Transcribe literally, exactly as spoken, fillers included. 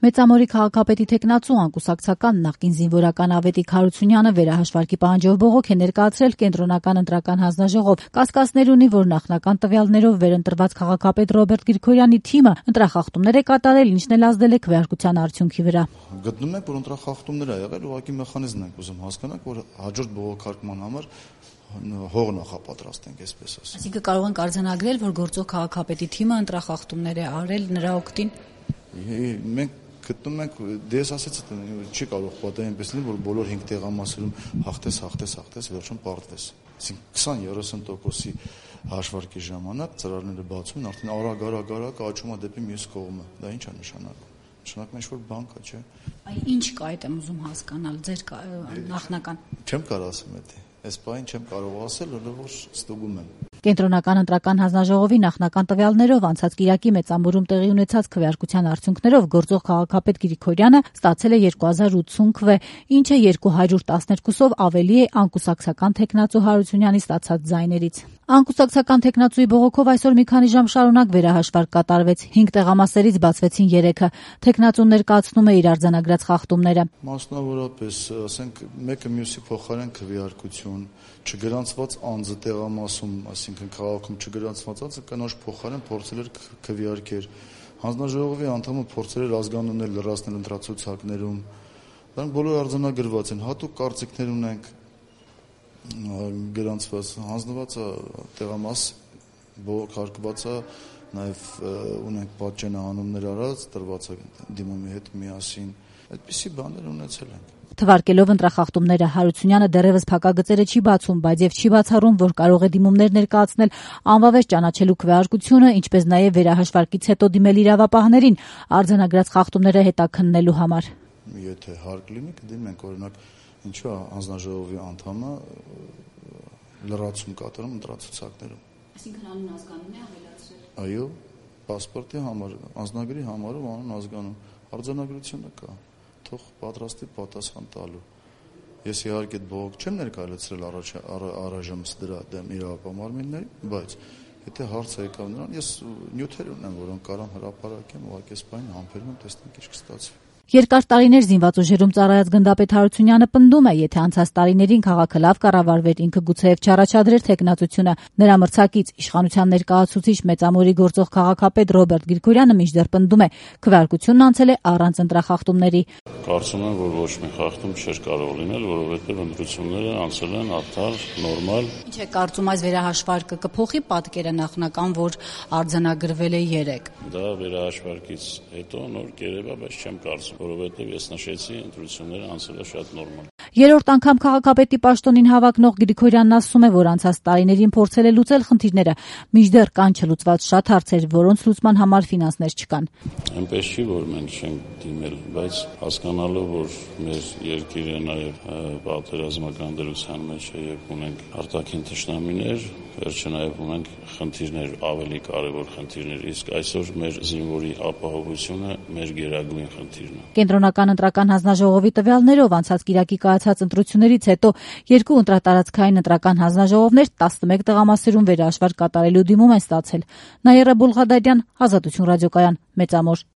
Մեծամորի քաղաքապետի թեկնածու անկուսակցական նախկին զինվորական Ավետիք Հարությունյանը վերահաշվարկի պահանջով բողոք է ներկայացրել կենտրոնական ընտրական հանձնաժողով։ Կասկածներ ունի, որ նախնական տվյալներով վերընտրված քաղաքապետ Ռոբերտ Գրիգորյանի թիմը ընտրախախտումներ է կատարել, ինչն էլ ազդել է քվեարկության արդյունքի վրա։ Գտնում ենք, որ ընտրախախտումներ ա եղել, ուղղակի մեխանիզմն ենք ուզում հասկանանք, որ հաջորդ բողոքարկման համար հող նախապատրաստենք, այսպես ասած։ Այսինքն կարող ենք արձանագրել, որ գործող քաղաքապետի թիմը ընտրախախտումներ է արել նրա օգտին։ Մենք գտնում ենք, դες ասեցի, չի կարող պատահել այնպես լինի, որ բոլոր հինգ տեղամասերում հաղթես, հաղթես, հաղթես, վերջում պարտվես։ Այսինքն քսան-երեսուն տոկոսի հաշվարկի ժամանակ ծրարները բացում են, արդեն արագ-արագ-արագ աճում է դեպի մյուս կողմը։ Դա ինչ է նշանակում։ Նշանակում է ինչ-որ բան կա, չէ՞։ Այ ինչ կա, այդ եմ ուզում հասկանալ, ձեր նախնական։ Չեմ կարող ասեմ դա։ Այս բանը չեմ կարող ասել, որովհետև ստուգում եմ։ Կենտրոնական ընտրական հանձնաժողովի նախնական տվյալներով անցած կիրակի Մեծամորում տեղի ունեցած քվեարկության արդյունքներով գործող քաղաքապետ Գրիգորյանը ստացել է երկու հազար ութսուն քվե, ինչը երկու հարյուր տասներկուսով ավելի է անկուսակցական թեկնածու Հարությունյանի ստացած ձայներից։ Անկուսակցական թեկնածուի բողոքով այսօր մի քանի ժամ շարունակ վերահաշվարկ կատարվեց։ հինգ տեղամասերից բացվեցին երեքը։ Թեկնածուն ներկայացնում է իր արձանագրած խախտումները։ Մասնավորապես, ասենք, մեկը մյուսի փոխարեն քվեարկություն, չգրանցված անձը տեղամասում, այսինքն քաղաքում չգրանցված անձը կնոջ փոխարեն փորձել էր քվեարկել։ Հանձնաժողովի անդամը փորձել էր ազգանուններ լրացնել ընտրացուցակներում։ Դրանք բոլորը արձանագրված են, հատուկ կարծիքներ ունենք գրանցված, հանձնված է տեղամաս, բողոքարկված է, նաև ունենք պատճենահանումներ արած, տրված է դիմումի հետ միասին, այդպիսի բաներ ունեցել ենք։ Թվարկելով ընտրախախտումները Հարությունյանը դեռևս փակագծերը չի բացում, բայց եւ չի բացառում, որ կարող է դիմումներ ներկայացնել անվավեր ճանաչելու քվեարկությունը, ինչպես նաեւ վերահաշվարկից հետո դիմել իրավապահներին արձանագրած խախտումները հետաքննելու համար։ Եթե հարկ լինի, կդիմենք օրինակ ինչու է հանձնաժողովի անդամը լրացում կատարում ընտրացուցակներում։ Այսինքն անուն ազգանուն է ավելացրել։ Այո, պասպորտի համար, անձնագրի համարով անուն ազգանուն, արձանագրությունը կա, թող պատրաստի պատասխան տալու։ Ես իհարկե բողոք չեմ ներկայացրել առայժմ դրա դեմ իրավապահ մարմինների, բայց եթե հարցը եկավ նրան, ես նյութեր ունեմ, որոնք կարող հրապարակեմ, ուղղակի այս բանը համբերում եմ, տեսնենք ինչ կստացվի։ Երկար տարիներ զինված ուժերում ծառայած գնդապետ Հարությունյանը պնդում է, եթե անցած տարիներին քաղաքը լավ կառավարվեր, ինքը գուցեև չառաջադրեր թեկնածությունը։ Նրա մրցակից իշխանության ներկայացուցիչ Մեծամորի գործող քաղաքապետ Ռոբերտ Գրիգորյանը մինչդեռ պնդում է, քվեարկությունն անցել է առանց ընտրախախտումների։ Կարծում եմ, որ ոչ մի խախտում չէր կարող լինել, որովհետև ընտրությունները անցել են արդար, նորմալ։ Ինչ է կարծում, այս վերահաշվարկը կփոխի պատկերը նախնական, որ արձանագրվել է երեք։ Դա վերահաշվարկից հետո նոր կերպ է, բայց չեմ կարծում, որովհետև ես նշեցի, ընտրությունները անցել է շատ նորմալ։ Երրորդ անգամ քաղաքապետի պաշտոնին հավակնող Գրիգորյանն ասում է, որ անցած տարիներին փորձել է լուծել խնդիրները, մինչդեռ կան չլուծված շատ հարցեր, որոնց լուծման համար ֆինանսներ չկան։ Այնպես չի, որ մենք չենք դիմել, բայց հասկանալով, որ մեր երկիրը նաև պատերազմական դրության մեջ է եւ ունենք արտաքին թշնամիներ, վերջը նաև ունենք խնդիրներ, ավելի կարևոր խնդիրներ, իսկ այսօր մեր զինվորի ապահովությունը մեր գերագույն խնդիրն է։ Կենտրոնական ընտրական հանձնաժողովի տվյալներով անցած կիրակի կայացած ընտրություններից հետո երկու ընտրատարածքային ընտրական հանձնաժողովներ տասնմեկ տեղամասերում վերահաշվարկ կատարելու դիմում են ստացել։ Նաիրա Բուլղադարյան, Ազատություն ռադիոկայան, Մեծամոր։